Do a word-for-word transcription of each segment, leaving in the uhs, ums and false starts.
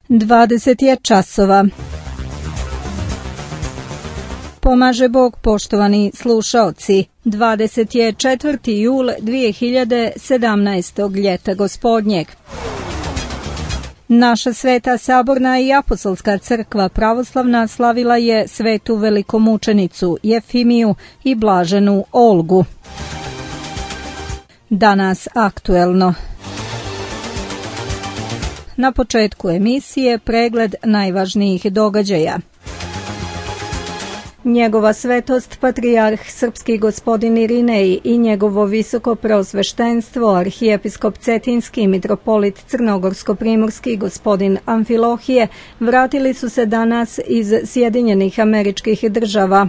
dvadeset je časova. Pomaže Bog, poštovani slušaoci. dvadeset je četvrti jul dvije hiljade sedamnaestog ljeta gospodnjeg. Naša Sveta Saborna i Apostolska crkva pravoslavna slavila je svetu velikomučenicu Jefimiju i blaženu Olgu. Danas aktuelno. Na početku emisije pregled najvažnijih događaja. Njegova svetost patrijarh srpski gospodin Irinej i njegovo visoko preosveštenstvo arhijepiskop Cetinski mitropolit Crnogorsko-primorski gospodin Amfilohije vratili su se danas iz Sjedinjenih Američkih Država.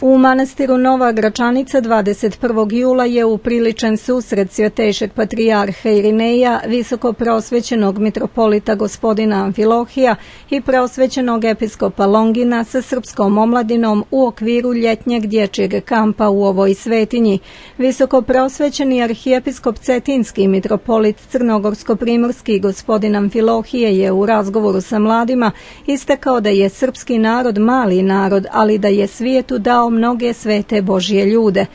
U manastiru Nova Gračanica dvadeset prvog jula je upriličen susret svjetejšeg patrijarha Irineja, visoko preosvećenog mitropolita gospodina Amfilohija i preosvećenog episkopa Longina sa srpskom omladinom u okviru ljetnjeg dječjeg kampa u ovoj svetinji. Visoko preosvećeni arhijepiskop Cetinski mitropolit Crnogorsko-primorski gospodin Amfilohije je u razgovoru sa mladima istakao da je srpski narod mali narod, ali da je svijetu dao mnoge svete Božje ljude.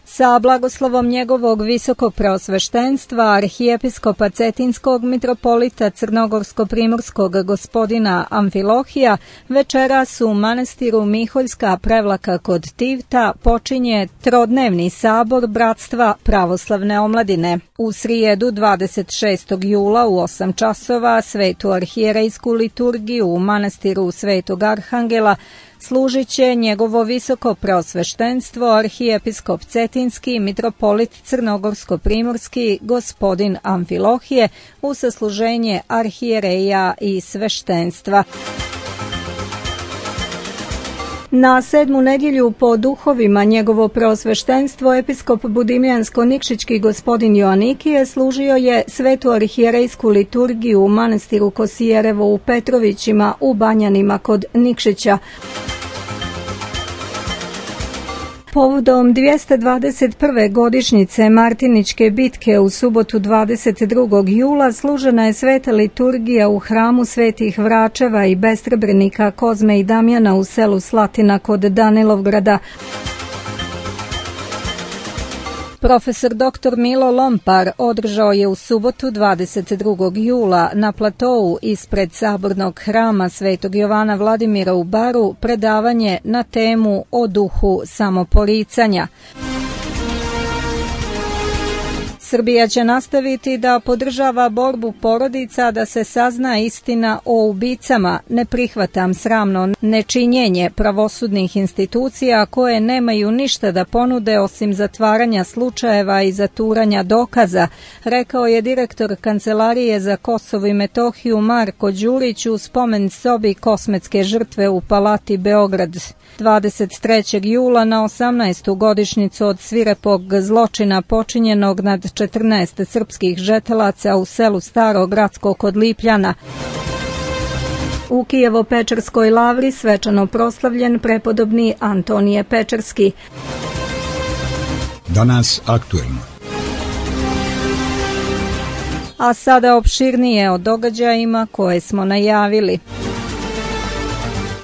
Sa blagoslovom njegovog visokog preosveštenstva arhijepiskopa Cetinskog mitropolita Crnogorsko-primorskog gospodina Amfilohija večeras u manastiru Miholjska Prevlaka kod Tivta počinje trodnevni sabor Bratstva pravoslavne omladine. U srijedu dvadeset šestog jula u osam časova svetu arhijerejsku liturgiju u manastiru Svetog Arhangela služit će njegovo visoko preosveštenstvo arhijepiskop Cetinski mitropolit Crnogorsko-primorski gospodin Amfilohije u sasluženje arhijereja i sveštenstva. Na sedmu nedjelju po duhovima njegovo preosveštenstvo episkop Budimljansko-Nikšićki gospodin Joanikije služio je svetu arhijerejsku liturgiju u manastiru Kosijerevo u Petrovićima u Banjanima kod Nikšića. Povodom dvjesto dvadeset prve godišnjice Martiničke bitke u subotu dvadeset drugog jula služena je sveta liturgija u hramu svetih Vračeva i Bestrebrnika Kozme i Damjana u selu Slatina kod Danilovgrada. Profesor doktor Milo Lompar održao je u subotu dvadeset drugog jula na platou ispred sabornog hrama Svetog Jovana Vladimira u Baru predavanje na temu o duhu samoporicanja. Srbija će nastaviti da podržava borbu porodica da se sazna istina o ubicama. Ne prihvatam sramno nečinjenje pravosudnih institucija koje nemaju ništa da ponude osim zatvaranja slučajeva i zaturanja dokaza, rekao je direktor Kancelarije za Kosovo i Metohiju Marko Đurić u spomen sobi kosmetske žrtve u Palati Beograd. dvadeset trećeg jula na osamnaestu godišnjicu od svirepog zločina počinjenog nad četrnaest srpskih žetelaca u selu Staro Gradsko kod Lipljana. U Kijevo-Pečerskoj lavri svečano proslavljen prepodobni Antonije Pečerski. Danas aktuelno. A sada opširnije o događajima koje smo najavili.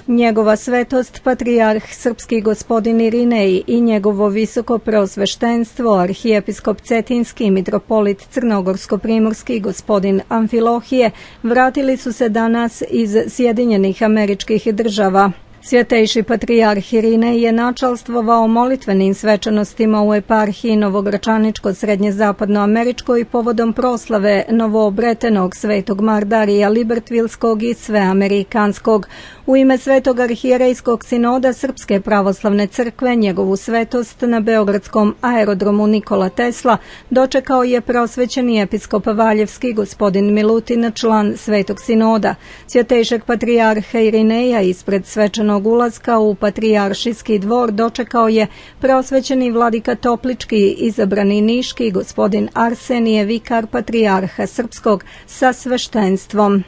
Njegova svetost patrijarh srpski gospodin Irinej i njegovo visoko preosveštenstvo arhijepiskop Cetinski mitropolit Crnogorsko-primorski gospodin Amfilohije vratili su se danas iz Sjedinjenih Američkih Država. Svjetejši patrijarh Irinej je načalstvovao molitvenim svečanostima u eparhiji Novogračaničko-srednjezapadnoameričkoj povodom proslave novoobretenog svetog Mardarija Libertvilskog i sveamerikanskog. U ime Svetog arhijerejskog sinoda Srpske pravoslavne crkve njegovu svetost na beogradskom aerodromu Nikola Tesla dočekao je preosvećeni episkop Valjevski gospodin Milutin, član Svetog sinoda. Svjetejšeg patrijarha Irineja ispred svečanog ulaska u patrijaršijski dvor dočekao je preosvećeni vladika Toplički, izabrani niški gospodin Arsenije, vikar patrijarha srpskog sa sveštenstvom.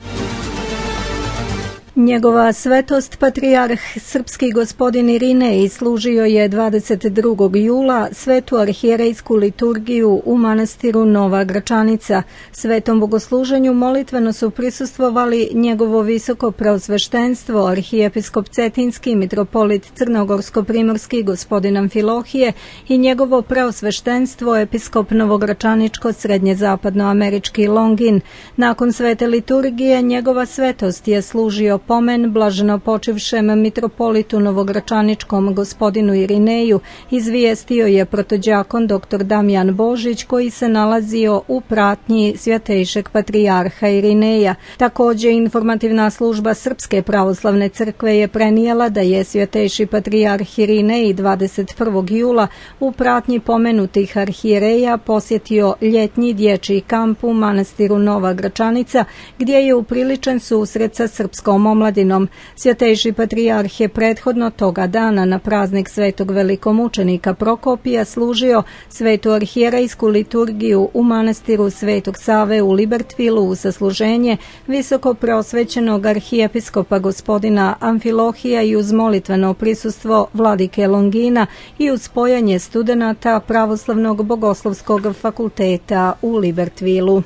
Njegova svetost patrijarh srpski gospodin Irinej služio je dvadeset drugog jula svetu arhijerejsku liturgiju u manastiru Nova Gračanica. Svetom bogosluženju molitveno su prisustvovali njegovo visoko preosveštenstvo arhijepiskop Cetinski mitropolit Crnogorsko-primorski gospodin Amfilohije i njegovo preosveštenstvo episkop Novogračaničko srednje-zapadnoamerički Longin. Nakon svete liturgije njegova svetost je služio pomen blaženo počivšem mitropolitu Novogračaničkom gospodinu Irineju, izvijestio je protođakon dr Damjan Božić koji se nalazio u pratnji svjetejšeg patrijarha Irineja. Također informativna služba Srpske pravoslavne crkve je prenijela da je svjetejši patrijarh Irinej dvadeset prvog jula u pratnji pomenutih arhijereja posjetio ljetnji dječji kamp u manastiru Nova Gračanica gdje je upriličen susret sa srpskom omladinom. Svjetejši patrijarh je prethodno toga dana na praznik svetog velikomučenika Prokopija služio svetu arhijerejsku liturgiju u manastiru Svetog Save u Libertvilu u sasluženje visoko preosvećenog arhijepiskopa gospodina Amfilohija i uz molitveno prisustvo vladike Longina i uz spojanje studenata Pravoslavnog bogoslovskog fakulteta u Libertvilu.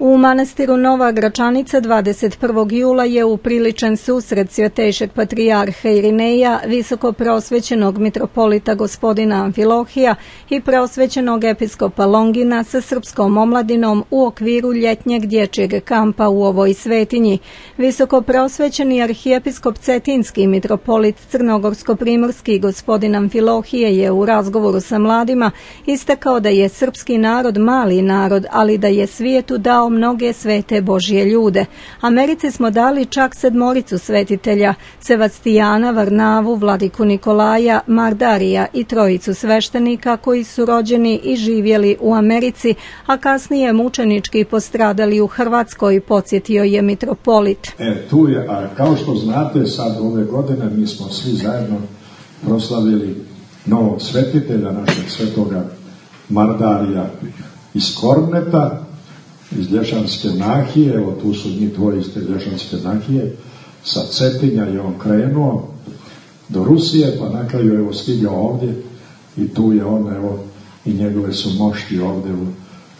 U manastiru Nova Gračanica dvadeset prvog jula je upriličen susret svjetejšeg patrijarha Irineja, visoko preosvećenog mitropolita gospodina Amfilohija i preosvećenog episkopa Longina sa srpskom omladinom u okviru ljetnjeg dječjeg kampa u ovoj svetinji. Visoko preosvećeni arhijepiskop Cetinski mitropolit Crnogorsko-primorski gospodin Amfilohije je u razgovoru sa mladima istakao da je srpski narod mali narod, ali da je svijetu dao mnoge svete Božje ljude. Americi smo dali čak sedmoricu svetitelja, Sevastijana, Varnavu, vladiku Nikolaja, Mardarija i trojicu sveštenika koji su rođeni i živjeli u Americi, a kasnije mučenički postradali u Hrvatskoj, podsjetio je mitropolit. E, tu je, a kao što znate, sad ove godine mi smo svi zajedno proslavili novog svetitelja, našeg svetoga Mardarija iz Korneta, iz Lješanske nahije, evo tu su njih dvoje iz te Lješanske nahije, sa Cetinja je on krenuo do Rusije, pa na kraju evo stigao ovdje i tu je on, evo, i njegove su mošti ovdje u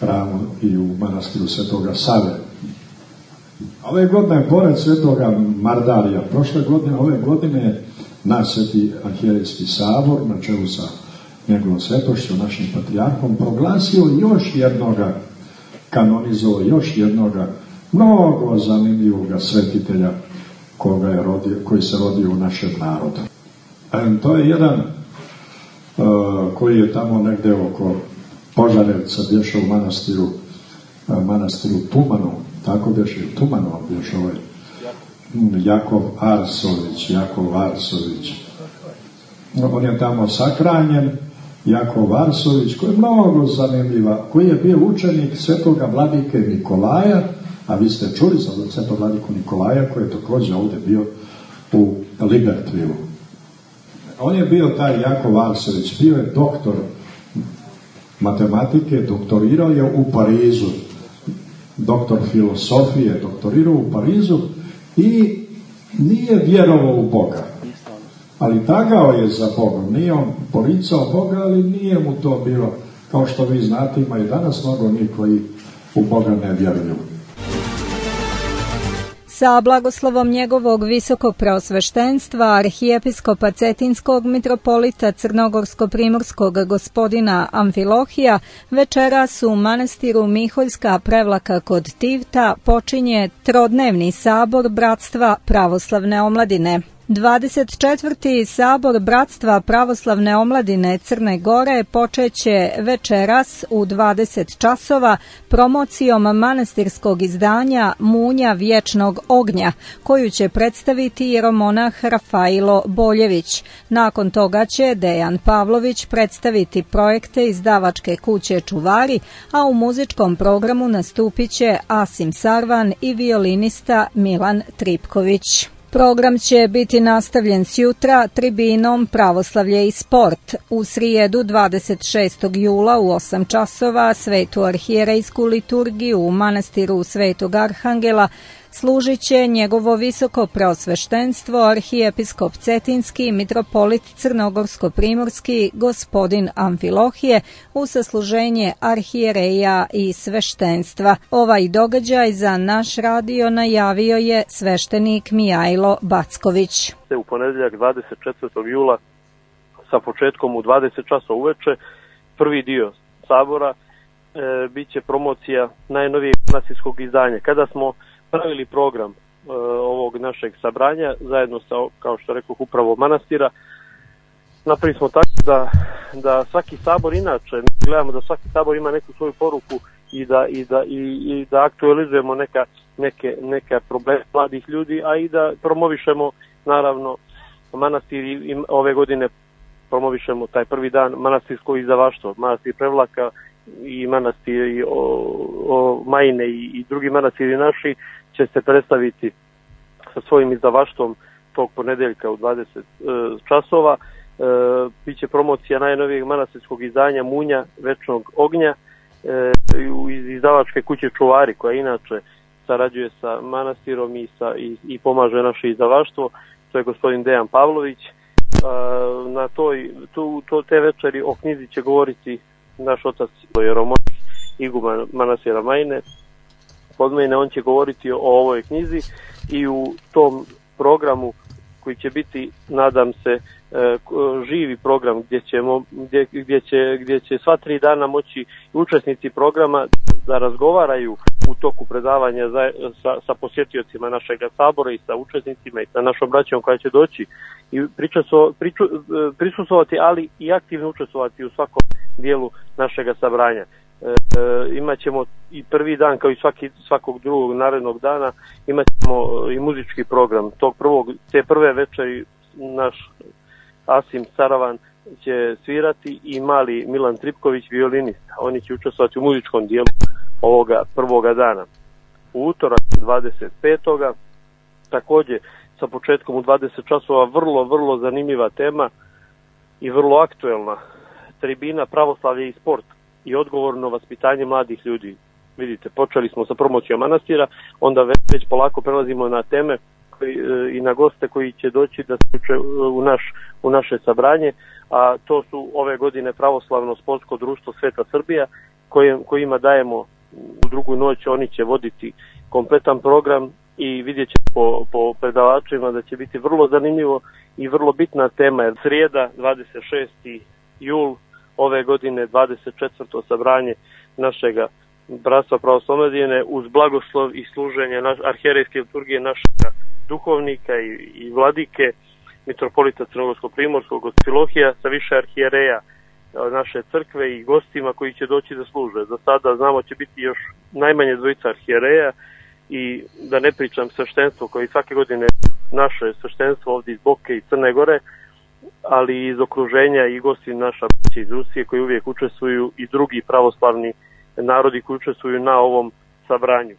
hramu i u manastiru Svetoga Save. Ove godine, pored Svetoga Mardarija, prošle godine, ove godine naš Sveti arhijerejski sabor, na čelu sa njegovom svetošću, našim patrijarhom, proglasio još jednoga kanonizovao još jednoga mnogo zanimljivoga svetitelja koga je rodio, koji se rodio u našem narodu. E, to je jedan uh, koji je tamo negde oko Požarevca bješe u manastiru uh, manastiru Tumanu, tako bješe u Tumanu bješe ovaj Jakov Arsović, Jakov Arsović. On je tamo sakranjen, Jakov Arsović, koji je mnogo zanimljiva, koji je bio učenik svetoga vladike Nikolaja, a vi ste čuli za svetog vladiku Nikolaja, koji je također ovdje bio u Libertvilu. On je bio taj Jakov Arsović, bio je doktor matematike, doktorirao je u Parizu, doktor filosofije, doktorirao u Parizu i nije vjerovao u Boga. Ali tagao je za Bogom, nije on poricao Boga, ali nije mu to bilo, kao što vi znate, ima i danas mnogo njih koji u Boga ne vjeruju. Sa blagoslovom njegovog visokog preosveštenstva arhijepiskopa Cetinskog mitropolita Crnogorsko-primorskog gospodina Amfilohija večeras u manastiru Miholjska Prevlaka kod Tivta počinje trodnevni sabor Bratstva pravoslavne omladine. dvadeset četvrti sabor Bratstva pravoslavne omladine Crne Gore počeće večeras u dvadeset časova promocijom manastirskog izdanja Munja vječnog ognja, koju će predstaviti jeromonah Rafailo Boljević. Nakon toga će Dejan Pavlović predstaviti projekte izdavačke kuće Čuvari, a u muzičkom programu nastupit će Asim Sarvan i violinista Milan Tripković. Program će biti nastavljen sjutra tribinom Pravoslavlje i sport. U srijedu dvadeset šestog jula u osam časova svetu arhijerejsku liturgiju u manastiru Svetog Arhangela služit će njegovo visoko preosveštenstvo arhijepiskop Cetinski, mitropolit Crnogorsko-primorski, gospodin Amfilohije, u sasluženje arhijereja i sveštenstva. Ovaj događaj za naš radio najavio je sveštenik Mijajlo Backović. U ponedjeljak dvadeset četvrtog jula sa početkom u dvadeset časova uveče, prvi dio sabora e, bit će promocija najnovijeg manastirskog izdanja. Kada smo pravili program e, ovog našeg sabranja zajedno sa, kao što rekao, upravo manastira, napravili smo tako da, da svaki sabor, inače gledamo da svaki sabor ima neku svoju poruku i da, i da, i, i da aktualizujemo neka, neke, neke probleme mladih ljudi, a i da promovišemo naravno manastir i ove godine promovišemo taj prvi dan manastirsko izdavaštvo, manastir Prevlaka i manastir i o, o Majine i, i drugi manastiri naši će se predstaviti sa svojim izdavaštvom tog ponedeljka u dvadeset e, časova. E, biće promocija najnovijeg manastirskog izdanja Munja Večnog ognja e, iz izdavačke kuće Čuvari, koja inače sarađuje sa manastirom i, sa, i, i pomaže naše izdavaštvo. To je gospodin Dejan Pavlović. Na toj, tu, to, te večeri o knjizi će govoriti naš otac jeromonik iguman manastira Majine. Podmene, on će govoriti o ovoj knjizi i u tom programu koji će biti, nadam se, živi program gdje, ćemo, gdje, gdje, će, gdje će sva tri dana moći učesnici programa da razgovaraju u toku predavanja za, sa, sa posjetiocima našeg sabora i sa učesnicima i sa našom braćom koja će doći i pričaso, priču, prisustvovati, ali i aktivno učestvovati u svakom dijelu našeg sabranja. E, e, imat ćemo i prvi dan, kao i svaki, svakog drugog narednog dana, imat ćemo i muzički program. Tog prvog, te prve večeri naš Asim Saravan će svirati i mali Milan Tripković, violinista. Oni će učestvovati u muzičkom dijelu ovoga prvoga dana. U utorak dvadeset petoga također sa početkom u dvadeset časova vrlo, vrlo zanimljiva tema i vrlo aktuelna. Tribina Pravoslavlje i sport i odgovorno vaspitanje mladih ljudi. Vidite, počeli smo sa promocijom manastira, onda već polako prelazimo na teme koji, i na goste koji će doći da se uče u, naš, u naše sabranje, a to su ove godine Pravoslavno sportsko društvo Sveta Srbija, kojim, kojima dajemo u drugu noć, oni će voditi kompletan program i vidjet će po, po predavačima da će biti vrlo zanimljivo i vrlo bitna tema. Jer srijeda dvadeset šesti jul ove godine, dvadeset četvrto sabranje našega bratstva pravoslavne uz blagoslov i služenje naš, arhijerejske liturgije našega duhovnika i, i vladike, mitropolita Crnogorsko-primorskog Amfilohija, sa više arhijereja naše crkve i gostima koji će doći da služe. Za sada znamo će biti još najmanje dvojica arhijereja i da ne pričam sveštenstvo koji svake godine naše sveštenstvo ovdje iz Boke i Crne Gore, ali iz okruženja i gosti naša iz Rusije koji uvijek učestvuju i drugi pravoslavni narodi koji učestvuju na ovom sabranju.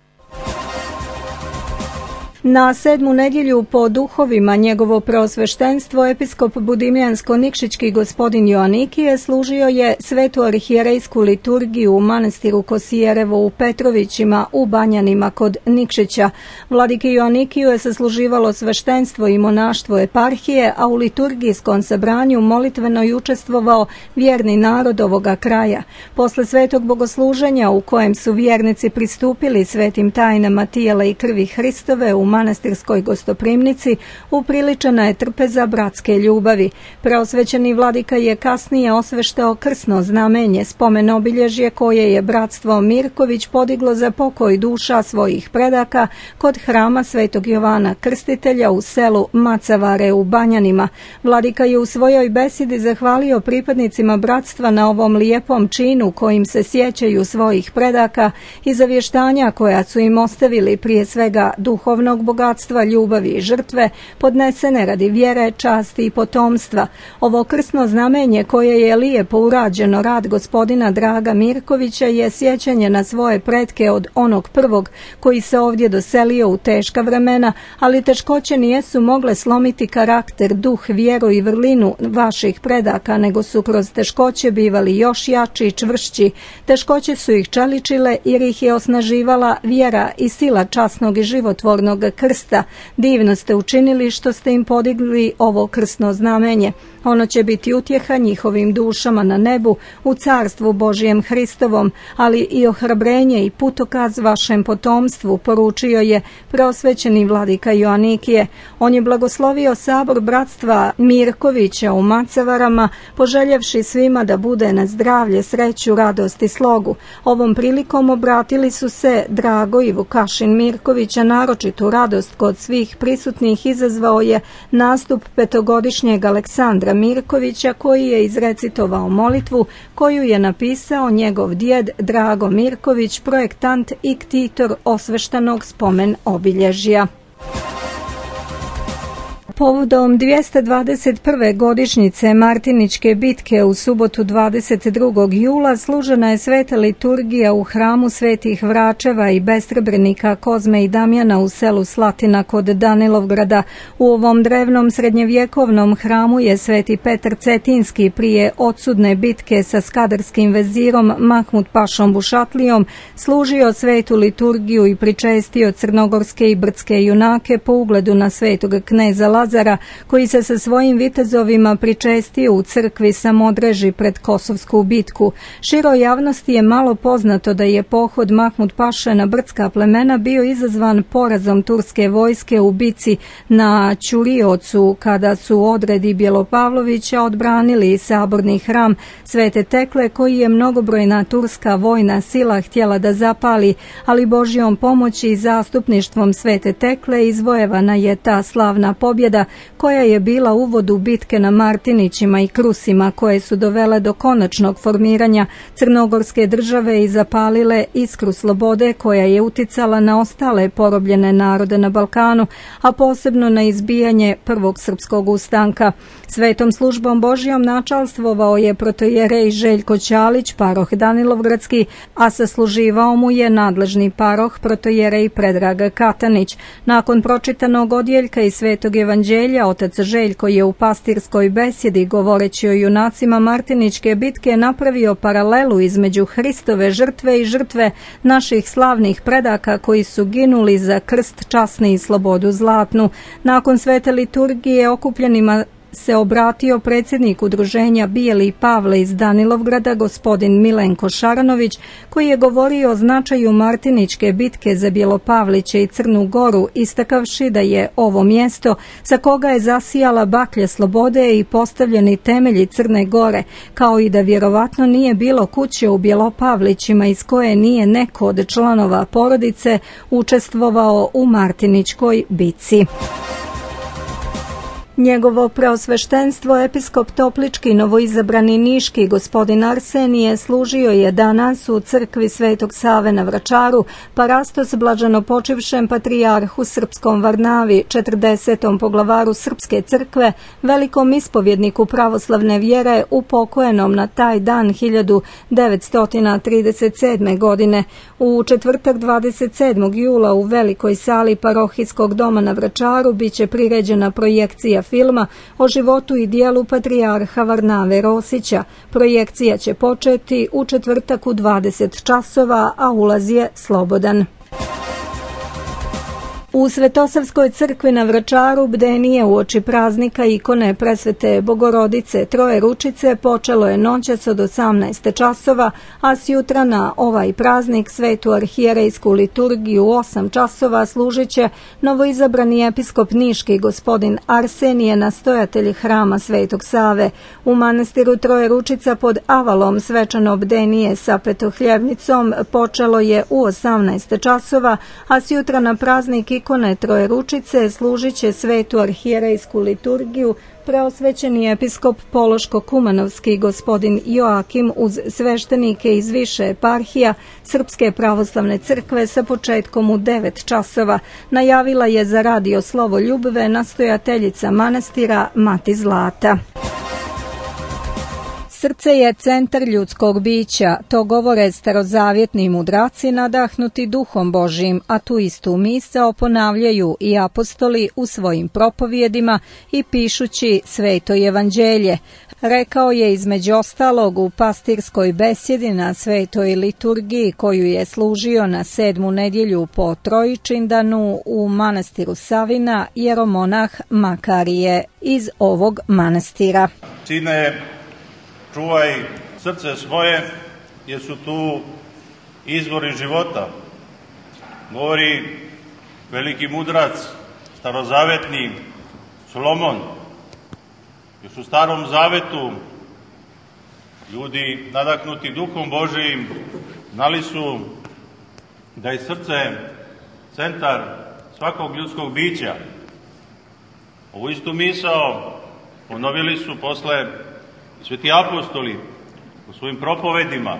Na sedmu nedjelju po duhovima njegovo preosveštenstvo episkop Budimljansko-Nikšićki gospodin Joanikije služio je svetu arhijerejsku liturgiju u manastiru Kosijerevo u Petrovićima u Banjanima kod Nikšića. Vladike Joanikiju je sasluživalo sveštenstvo i monaštvo eparhije, a u liturgijskom sabranju molitveno je učestvovao vjerni narod ovoga kraja. Posle svetog bogosluženja u kojem su vjernici pristupili svetim tajnama tijela i krvi Hristove u manastirskoj gostoprimnici, upriličena je trpeza bratske ljubavi. Preosvećeni vladika je kasnije osveštao krsno znamenje, spomen obilježje koje je bratstvo Mirković podiglo za pokoj duša svojih predaka kod hrama Svetog Jovana Krstitelja u selu Macavare u Banjanima. Vladika je u svojoj besedi zahvalio pripadnicima bratstva na ovom lijepom činu kojim se sjećaju svojih predaka i zavještanja koja su im ostavili, prije svega duhovnog večnog bogatstva, ljubavi i žrtve, podnesene radi vjere, časti i potomstva. Ovo krsno znamenje koje je lijepo urađeno rad gospodina Draga Mirkovića je sjećanje na svoje pretke od onog prvog koji se ovdje doselio u teška vremena, ali teškoće nijesu mogle slomiti karakter, duh, vjeru i vrlinu vaših predaka, nego su kroz teškoće bivali još jači i čvršći. Teškoće su ih čeličile jer ih je osnaživala vjera i sila časnog i životvornog krsta. Divno ste učinili što ste im podigli ovo krsno znamenje. Ono će biti utjeha njihovim dušama na nebu u carstvu Božijem Hristovom, ali i ohrabrenje i putokaz vašem potomstvu, poručio je preosvećeni vladika Joanikije. On je blagoslovio sabor bratstva Mirkovića u Macavarama, poželjevši svima da bude na zdravlje, sreću, radost i slogu. Ovom prilikom obratili su se Drago i Vukašin Mirkovića, naročitu radost kod svih prisutnih izazvao je nastup petogodišnjeg Aleksandra Mirkovića koji je izrecitovao molitvu koju je napisao njegov djed Drago Mirković, projektant i ktitor osveštanog spomen obilježja. Povodom dvjesto dvadeset prve godišnjice Martiničke bitke u subotu dvadeset drugog jula služena je sveta liturgija u hramu svetih Vračeva i Besrebrenika Kozme i Damjana u selu Slatina kod Danilovgrada. U ovom drevnom srednjevjekovnom hramu je sveti Petar Cetinski prije odsudne bitke sa skadarskim vezirom Mahmud Pašom Bušatlijom služio svetu liturgiju i pričestio crnogorske i brdske junake po ugledu na svetog kneza Lazara, koji se sa svojim vitezovima pričestio u crkvi Samodreži pred Kosovsku bitku. Široj javnosti je malo poznato da je pohod Mahmud Paše na brdska plemena bio izazvan porazom turske vojske u bici na Ćuriocu, kada su odredi Bjelopavlovića odbranili saborni hram Svete Tekle, koji je mnogobrojna turska vojna sila htjela da zapali, ali Božjom pomoći i zastupništvom Svete Tekle izvojevana je ta slavna pobjeda koja je bila uvod u bitke na Martinićima i Krusima, koje su dovele do konačnog formiranja crnogorske države i zapalile iskru slobode koja je uticala na ostale porobljene narode na Balkanu, a posebno na izbijanje prvog srpskog ustanka. Svetom službom Božjom načalstvovao je protojerej Željko Ćalić, paroh Danilovgradski, a sasluživao mu je nadležni paroh protojerej Predrag Katanić. Nakon pročitanog odjeljka iz Svetog evanđelja, otac Željko je u pastirskoj besjedi, govoreći o junacima Martiničke bitke, napravio paralelu između Hristove žrtve i žrtve naših slavnih predaka koji su ginuli za krst časni i slobodu zlatnu. Nakon svete liturgije okupljenima se obratio predsjednik udruženja Bijeli Pavle iz Danilovgrada, gospodin Milenko Šaranović, koji je govorio o značaju Martiničke bitke za Bjelopavliće i Crnu Goru, istakavši da je ovo mjesto sa koga je zasijala baklja slobode i postavljeni temelji Crne Gore, kao i da vjerovatno nije bilo kuće u Bjelopavlićima iz koje nije neko od članova porodice učestvovao u Martiničkoj bitci. Njegovo preosveštenstvo episkop Toplički novoizabrani niški gospodin Arsenije služio je danas u crkvi Svetog Save na Vračaru parastos blaženopočivšem patrijarhu srpskom Varnavi, četrdesetom poglavaru Srpske crkve, velikom ispovjedniku pravoslavne vjere, upokojenom na taj dan hiljadu devetsto trideset sedme. godine. U četvrtak dvadeset sedmog jula u velikoj sali parohijskog doma na Vračaru biće priređena projekcija filma o životu i dijelu patrijarha Varnave Rosića. Projekcija će početi u četvrtak u dvadeset časova, a ulaz je slobodan. U Svetosavskoj crkvi na Vračaru bdenije uoči praznika ikone Presvete Bogorodice Troje Ručice počelo je noćas od osamnaest časova, a sjutra na ovaj praznik svetu arhijerejsku liturgiju u osam časova služit će novoizabrani episkop niški gospodin Arsenije, nastojatelj hrama Svetog Save. U manastiru Troje Ručica pod Avalom svečano bdenije sa petohljevnicom počelo je u osamnaest časova, a sjutra na praznik ikone Trojeručice služit će svetu arhijerejsku liturgiju preosvećeni episkop Pološko-Kumanovski gospodin Joakim uz sveštenike iz više eparhija Srpske pravoslavne crkve sa početkom u devet časova, najavila je za radio Slovoljubve nastojateljica manastira Mati Zlata. Srce je centar ljudskog bića, to govore starozavjetni mudraci nadahnuti duhom Božijim, a tu istu misao ponavljaju i apostoli u svojim propovjedima i pišući Sveto evanđelje. Rekao je između ostalog u pastirskoj besjedi na Svetoj liturgiji koju je služio na sedmu nedjelju po Trojičindanu u manastiru Savina jeromonah Makarije iz ovog manastira. Sine, čuvaj srce svoje, jer su tu izvori života. Govori veliki mudrac, starozavetni Solomon. Još u Starom Zavetu ljudi nadahnuti duhom Božijim znali su da je srce centar svakog ljudskog bića. Ovu istu misao ponovili su posle sveti apostoli u svojim propovedima,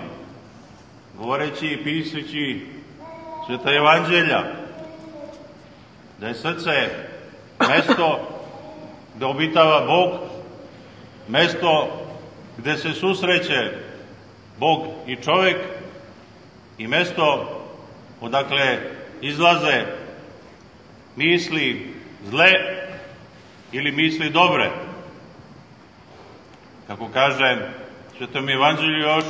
govoreći i pisajući Sveta evanđelja, da je srce mesto gde obitava Bog, mesto gde se susreće Bog i čovjek i mesto odakle izlaze misli zle ili misli dobre. Kako kaže Svetom evanđelju još,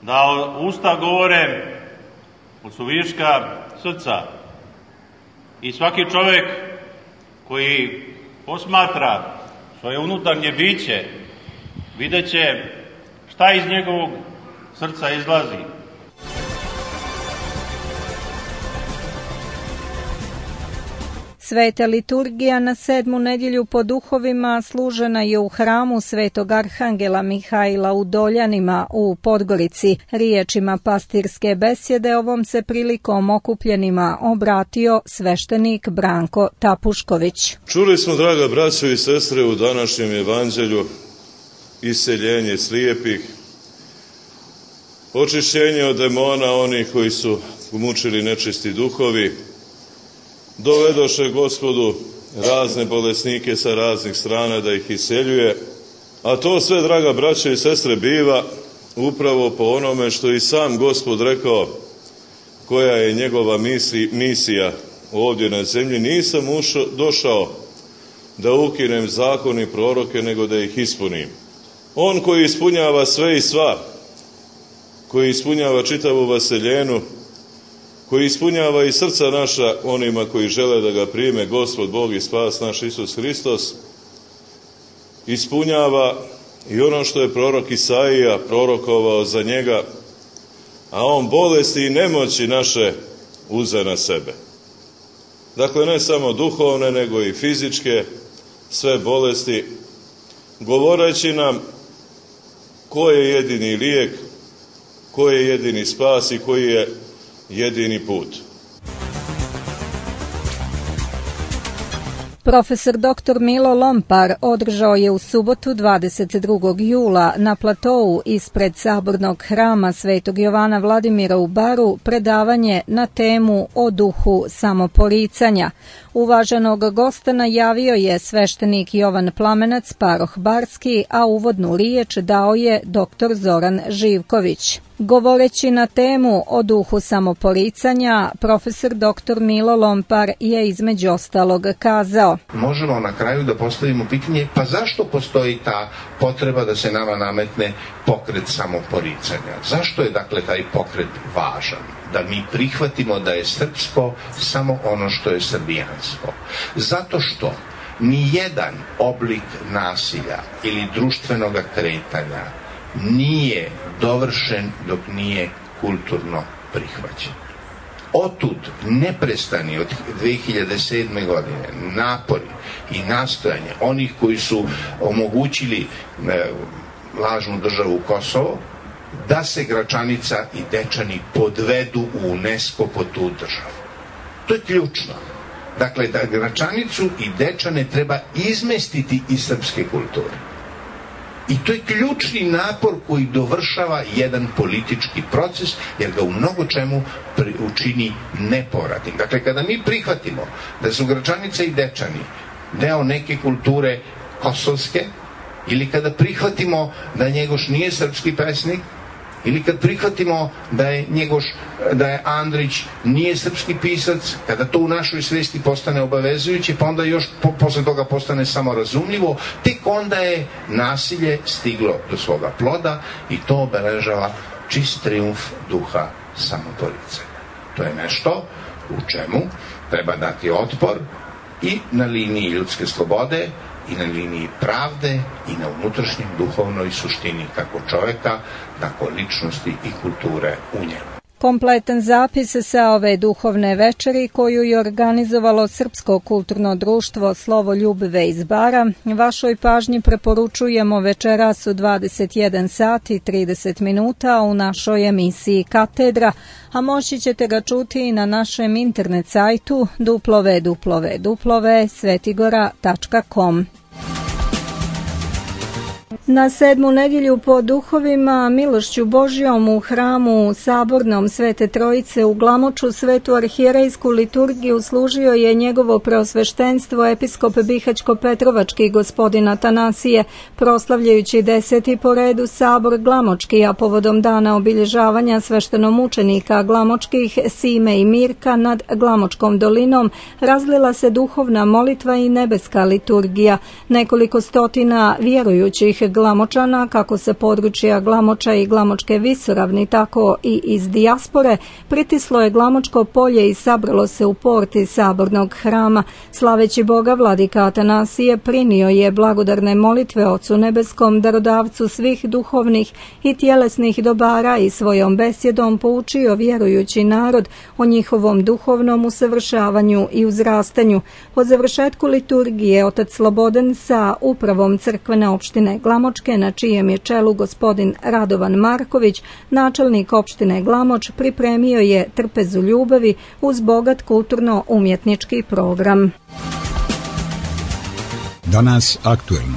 da usta govore od suviška srca. I svaki čovjek koji posmatra svoje unutarnje biće, vidjet će šta iz njegovog srca izlazi. Sveta liturgija na sedmu nedjelju po duhovima služena je u hramu Svetog Arhangela Mihajla u Doljanima u Podgorici. Riječima pastirske besjede ovom se prilikom okupljenima obratio sveštenik Branko Tapušković. Čuli smo, draga braćo i sestre, u današnjem evanđelju iseljenje slijepih, očišćenje od demona onih koji su mučili nečisti duhovi, dovedoše Gospodu razne bolesnike sa raznih strana da ih iseljuje, a to sve, draga braćo i sestre, biva upravo po onome što i sam Gospod rekao, koja je njegova misi, misija ovdje na zemlji. Nisam ušao, došao da ukinem zakon i proroke, nego da ih ispunim. On koji ispunjava sve i sva, koji ispunjava čitavu vaseljenu, koji ispunjava i srca naša onima koji žele da ga prime, Gospod Bog i spas naš Isus Hristos, ispunjava i ono što je prorok Isaija prorokovao za njega, a on bolesti i nemoći naše uze na sebe. Dakle, ne samo duhovne, nego i fizičke, sve bolesti, govoreći nam ko je jedini lijek, ko je jedini spas i koji je jedini put. Profesor doktor Milo Lompar održao je u subotu dvadeset drugog jula na platou ispred sabornog hrama Svetog Jovana Vladimira u Baru predavanje na temu o duhu samoporicanja. Uvaženog gosta najavio je sveštenik Jovan Plamenac, paroh Barski, a uvodnu riječ dao je doktor Zoran Živković. Govoreći na temu o duhu samoporicanja, profesor doktor Milo Lompar je između ostalog kazao: možemo na kraju da postavimo pitanje, pa zašto postoji ta potreba da se nama nametne pokret samoporicanja? Zašto je dakle taj pokret važan? Da mi prihvatimo da je srpsko samo ono što je srbijansko. Zato što ni jedan oblik nasilja ili društvenog kretanja nije dovršen dok nije kulturno prihvaćen. Otud neprestani od dve hiljade sedme. godine napori i nastojanje onih koji su omogućili e, lažnu državu Kosovo, da se Gračanica i Dečani podvedu u UNESCO po tu državu. To je ključno. dakle, da Gračanicu i Dečane treba izmestiti iz srpske kulture. I to je ključni napor koji dovršava jedan politički proces, jer ga u mnogo čemu učini nepovratnim. Dakle, kada mi prihvatimo da su Gračanica i Dečani deo neke kulture kosovske, ili kada prihvatimo da Njegoš nije srpski pesnik, ili kad prihvatimo da je Njegoš, da je Andrić nije srpski pisac, kada to u našoj svesti postane obavezujuće, pa onda još po, posle toga postane samorazumljivo, tek onda je nasilje stiglo do svoga ploda i to obeležava čist trijumf duha samoporicanja. To je nešto u čemu treba dati otpor i na liniji ljudske slobode, i na liniji pravde, i na unutrašnjem duhovnoj suštini kako čoveka, tako ličnosti i kulture u njemu. Kompletan zapis sa ove duhovne večeri koju je organizovalo Srpsko kulturno društvo Slovo Ljubive iz Bara, vašoj pažnji preporučujemo večeras u dvadeset jedan sati i trideset minuta u našoj emisiji Katedra, a moći ćete ga čuti i na našem internet sajtu w w w tačka svetigora tačka com. Na sedmu nedjelju po duhovima, milošću Božjom u hramu Sabornom Svete Trojice u Glamoču svetu arhijerejsku liturgiju služio je njegovo preosveštenstvo episkop Bihaćko-Petrovački gospodin Atanasije, proslavljajući deseti po redu Sabor Glamočki, a povodom dana obilježavanja sveštenomučenika Glamočkih Sime i Mirka nad Glamočkom dolinom razlila se duhovna molitva i nebeska liturgija. Nekoliko stotina vjerujućih Glamočana, kako sa područja Glamoča i Glamočke visoravni, tako i iz dijaspore, pritislo je Glamočko polje i sabralo se u porti Sabornog hrama. Slaveći Boga, vladika Atanasije prinio je blagodarne molitve Ocu Nebeskom, darodavcu svih duhovnih i tjelesnih dobara, i svojom besjedom poučio vjerujući narod o njihovom duhovnom usavršavanju i uzrastanju. Po završetku liturgije otac Slobodan sa upravom crkvene opštine Glamočke, na čijem je čelu gospodin Radovan Marković, načelnik opštine Glamoč, pripremio je trpezu ljubavi uz bogat kulturno-umjetnički program. Danas aktuelno.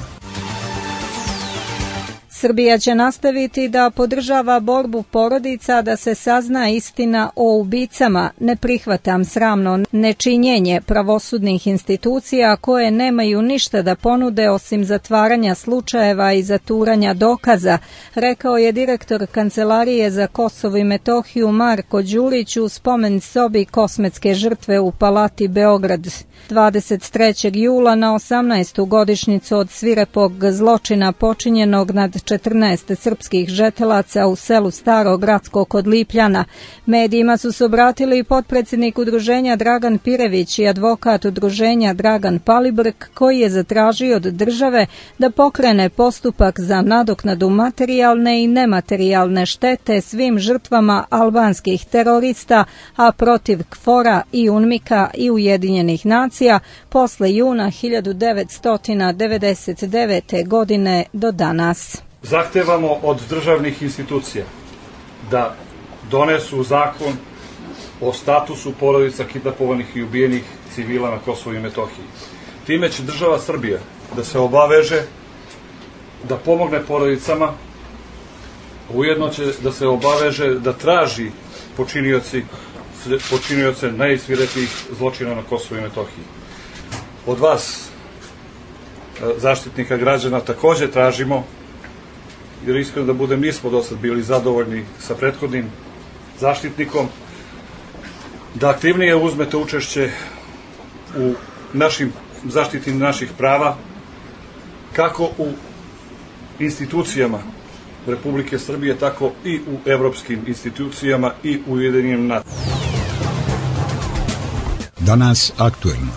Srbija će nastaviti da podržava borbu porodica da se sazna istina o ubicama. Ne prihvatam sramno nečinjenje pravosudnih institucija koje nemaju ništa da ponude osim zatvaranja slučajeva i zaturanja dokaza, rekao je direktor Kancelarije za Kosovo i Metohiju Marko Đurić u spomen sobi kosmetske žrtve u Palati Beograd. dvadeset trećeg jula na osamnaestu godišnjicu od svirepog zločina počinjenog nad četrnaest srpskih žetelaca u selu Staro Gradsko kod Lipljana. Medijima su se obratili i potpredsjednik udruženja Dragan Pirević i advokat udruženja Dragan Palibrk, koji je zatražio od države da pokrene postupak za nadoknadu materijalne i nematerijalne štete svim žrtvama albanskih terorista, a protiv KFOR-a i UNMIK-a i Ujedinjenih nacija posle juna hiljadu devetsto devedeset devete. godine do danas. Zahtevamo od državnih institucija da donesu zakon o statusu porodica kidnapovanih i ubijenih civila na Kosovu i Metohiji. Time će država Srbija da se obaveže da pomogne porodicama, ujedno će da se obaveže da traži počinioci, počinioce najsvirepijih zločina na Kosovu i Metohiji. Od vas, zaštitnika građana, takođe tražimo, jer iskreno da budem, nismo do sad bili zadovoljni sa prethodnim zaštitnikom, da aktivnije uzmete učešće u našim zaštiti naših prava, kako u institucijama Republike Srbije, tako i u evropskim institucijama i u Ujedinjenim nacijama. Danas aktuelno.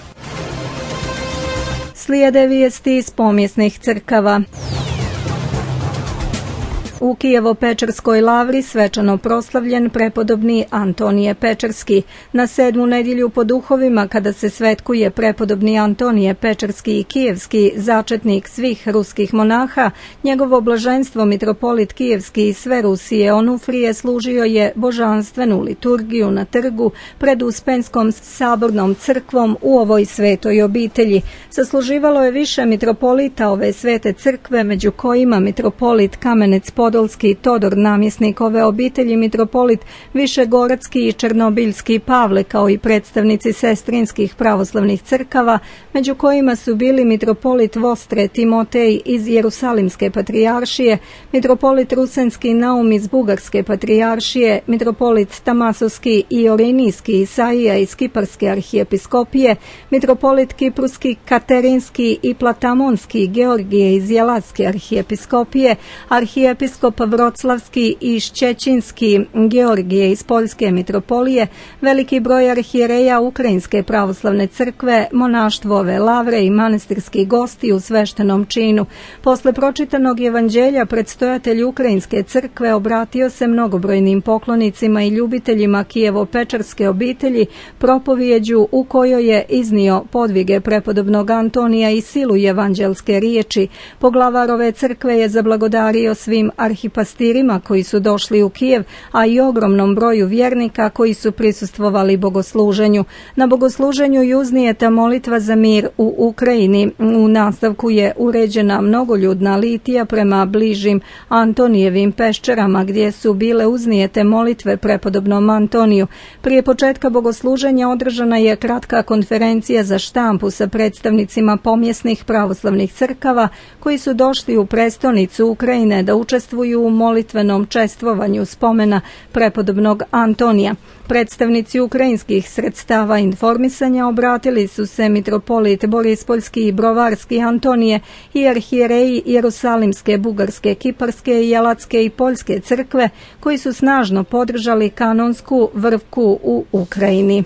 Slijede vijesti iz pomjesnih crkava. U Kijevo-Pečerskoj lavri svečano proslavljen prepodobni Antonije Pečerski. Na sedmu nedjelju po duhovima, kada se svetkuje prepodobni Antonije Pečerski i Kijevski, začetnik svih ruskih monaha, njegovo blaženstvo mitropolit Kijevski i sve Rusije Onufrije služio je božanstvenu liturgiju na trgu pred Uspenskom sabornom crkvom u ovoj svetoj obitelji. Sasluživalo je više mitropolita ove svete crkve, među kojima mitropolit Kamenec Podolski Todor, namjesnik ove obitelji, mitropolit Višegoradski i Černobiljski Pavle, kao i predstavnici sestrinskih pravoslavnih crkava, među kojima su bili mitropolit Vostre Timotej iz Jerusalimske patrijaršije, mitropolit Rusenski Naum iz Bugarske patrijaršije, mitropolit Tamasovski i Orinijski Isaija iz Kiparske arhijepiskopije, mitropolit Kipruski Katerinski i Platamonski Georgije iz Jelatske arhijepiskopije, arhijepiskop Vroclavski i Šćećinski Georgije iz Poljske mitropolije, veliki broj arhijereja Ukrajinske pravoslavne crkve, monaštvo ove lavre i manastirski gosti u sveštenom činu. Posle pročitanog evanđelja predstojatelj Ukrajinske crkve obratio se mnogobrojnim poklonicima i ljubiteljima Kijevo-Pečerske obitelji propovijeđu u kojoj je iznio podvige prepodobnog Antonija i silu evanđelske riječi. Poglavar ove crkve je zablagodario svim arhipastirima koji su došli u Kijev, a i ogromnom broju vjernika koji su prisustvovali bogosluženju. Na bogosluženju je uznijeta molitva za mir u Ukrajini. U nastavku je uređena mnogoljudna litija prema bližim Antonijevim peščerama, gdje su bile uznijete molitve prepodobnom Antoniju. Prije početka bogosluženja održana je kratka konferencija za štampu sa predstavnicima pomjesnih pravoslavnih crkava koji su došli u prestonicu Ukrajine da učestvuju u molitvenom čestvovanju spomena prepodobnog Antonija. Predstavnici ukrajinskih sredstava informisanja obratili su se mitropolit Borispoljski i Brovarski Antonije i arhijereji Jerusalimske, Bugarske, Kiparske, Jelatske i Poljske crkve koji su snažno podržali kanonsku vrvku u Ukrajini.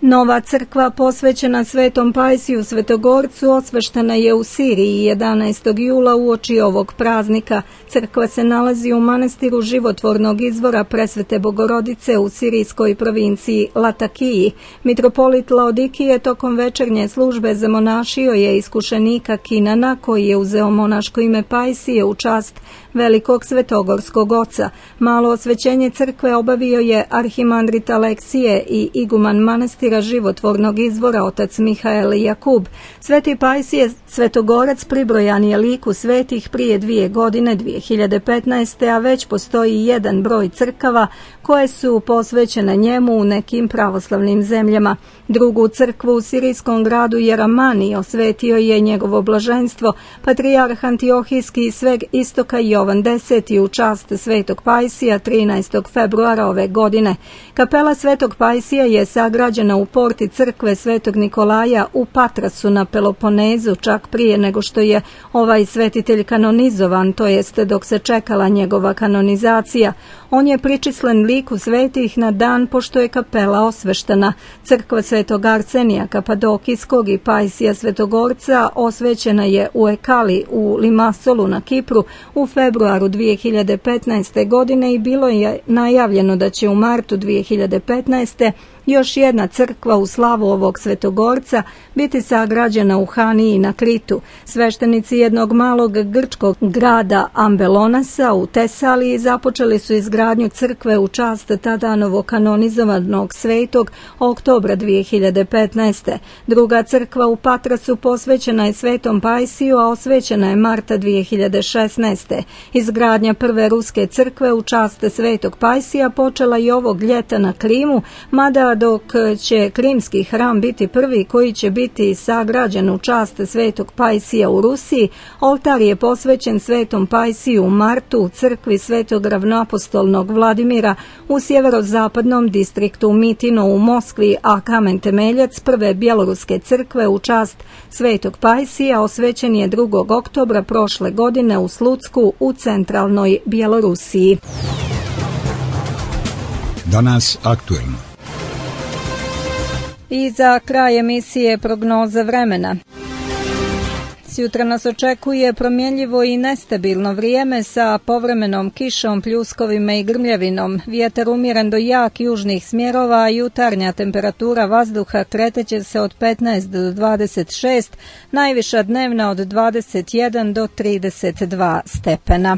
Nova crkva posvećena Svetom Pajsiju Svetogorcu osveštena je u Siriji jedanaestog jula uoči ovog praznika. Crkva se nalazi u manastiru Životvornog izvora Presvete Bogorodice u sirijskoj provinciji Latakiji. Mitropolit Laodikije tokom večernje službe zamonašio je iskušenika Kinana, koji je uzeo monaško ime Pajsije u čast velikog svetogorskog oca. Malo osvećenje crkve obavio je arhimandrit Aleksije i iguman manastira Životvornog izvora otac Mihael Jakub. Sveti Pajsije Svetogorac pribrojan je liku svetih prije dvije godine, dvije hiljade petnaeste. a već postoji jedan broj crkava koje su posvećene njemu u nekim pravoslavnim zemljama. Drugu crkvu u sirijskom gradu Jeramani osvetio je njegovo blaženstvo patrijarh Antiohijski iz sveg istoka Jovan deseti u čast Svetog Pajsija trinaestog februara ove godine. Kapela Svetog Pajsija je sagrađena u porti crkve Svetog Nikolaja u Patrasu na Peloponezu, čak prije nego što je ovaj svetitelj kanonizovan, to jest dok se čekala njegova kanonizacija. On je pričislen liku svetih na dan pošto je kapela osveštena. Crkva Svetog Arsenija Kapadokijskog i Pajsija Svetogorca osvećena je u Ekali u Limasolu na Kipru u februaru dvije hiljade petnaeste. godine i bilo je najavljeno da će u martu dvije hiljade petnaeste. još jedna crkva u slavu ovog Svetogorca biti sagrađena u Haniji na Kritu. Sveštenici jednog malog grčkog grada Ambelonasa u Tesaliji započeli su izgradnju crkve u čast tada novokanonizovanog svetog oktobra dvije hiljade petnaeste. Druga crkva u Patrasu posvećena je Svetom Pajsiju, a osvećena je marta dvije hiljade šesnaeste. Izgradnja prve ruske crkve u čast Svetog Pajsija počela i ovog ljeta na Krimu, mada dok će krimski hram biti prvi koji će biti sagrađen u čast Svetog Pajsija u Rusiji, oltar je posvećen Svetom Pajsiju u martu u crkvi Svetog ravnoapostolnog Vladimira u sjeverozapadnom distriktu Mitino u Moskvi, a kamen temeljac prve bjeloruske crkve u čast Svetog Pajsija osvećen je drugog oktobra prošle godine u Slucku u centralnoj Bjelorusiji. Danas aktuelno. I za kraj emisije prognoza vremena. Danas jutra nas očekuje promjenljivo i nestabilno vrijeme sa povremenom kišom, pljuskovima i grmljavinom. Vjetar umjeren do jak južnih smjerova, a jutarnja temperatura vazduha kreteće se od petnaest do dvadeset šest, najviša dnevna od dvadeset jedan do trideset dva stepena.